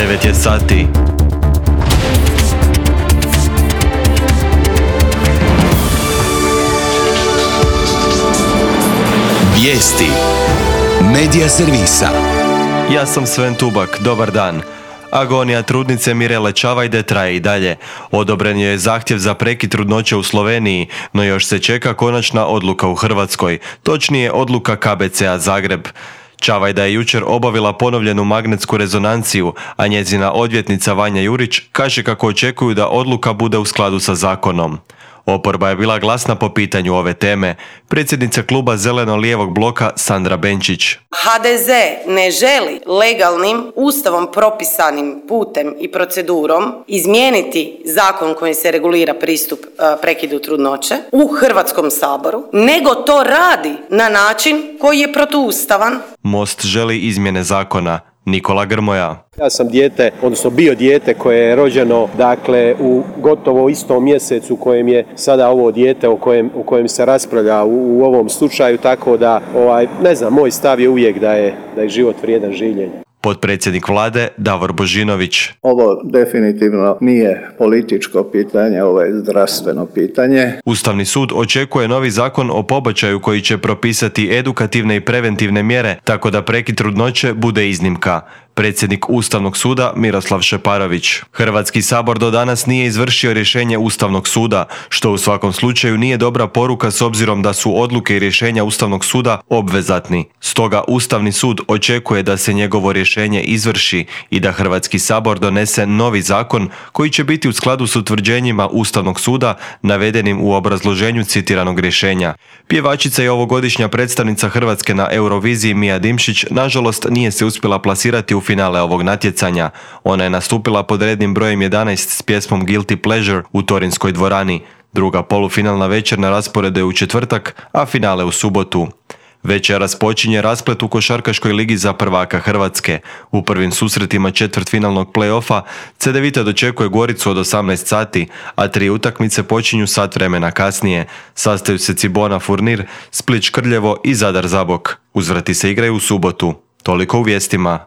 9 je sati. Vijesti Medija servisa. Ja sam Sven Tubak, dobar dan. Agonija trudnice Mirele Čavajde traje i dalje. Odobren je zahtjev za prekid trudnoće u Sloveniji, no još se čeka konačna odluka u Hrvatskoj, točnije odluka KBC-a Zagreb. Čavajda je jučer obavila ponovljenu magnetsku rezonanciju, a njezina odvjetnica Vanja Jurić kaže kako očekuju da odluka bude u skladu sa zakonom. Oporba je bila glasna po pitanju ove teme. Predsjednica kluba Zeleno-lijevog bloka Sandra Benčić. HDZ ne želi legalnim, ustavom propisanim putem i procedurom izmijeniti zakon kojim se regulira pristup prekidu trudnoće u Hrvatskom saboru, nego to radi na način koji je protuustavan. Most želi izmjene zakona. Nikola Grmoja. Ja sam bio dijete koje je rođeno u gotovo istom mjesecu u kojem je sada ovo dijete o kojem se raspravlja u ovom slučaju, tako da moj stav je uvijek da je život vrijedan življenja. Potpredsjednik vlade Davor Božinović. Ovo definitivno nije političko pitanje, ovo je zdravstveno pitanje. Ustavni sud očekuje novi zakon o pobačaju koji će propisati edukativne i preventivne mjere, tako da prekid trudnoće bude iznimka. Predsjednik Ustavnog suda Miroslav Šeparović. Hrvatski sabor do danas nije izvršio rješenje Ustavnog suda, što u svakom slučaju nije dobra poruka s obzirom da su odluke i rješenja Ustavnog suda obvezatni. Stoga Ustavni sud očekuje da se njegovo rješenje izvrši i da Hrvatski sabor donese novi zakon koji će biti u skladu s utvrđenjima Ustavnog suda navedenim u obrazloženju citiranog rješenja. Pjevačica i ovogodišnja predstavnica Hrvatske na Euroviziji Mija Dimšić nažalost nije se uspjela plasirati u finale ovog natjecanja. Ona je nastupila pod rednim brojem 11 s pjesmom Guilty Pleasure u Torinskoj dvorani. Druga polufinalna večer na rasporedu je u četvrtak, a finale u subotu. Večeras počinje rasplet u košarkaškoj ligi za prvaka Hrvatske. U prvim susretima četvrtfinalnog play-offa Cedevita dočekuje Goricu od 18 sati, a 3 utakmice počinju sat vremena kasnije. Sastaju se Cibona Furnir, Split Škrljevo i Zadar Zabok. Uzvrati se igraju u subotu. Toliko u vijestima.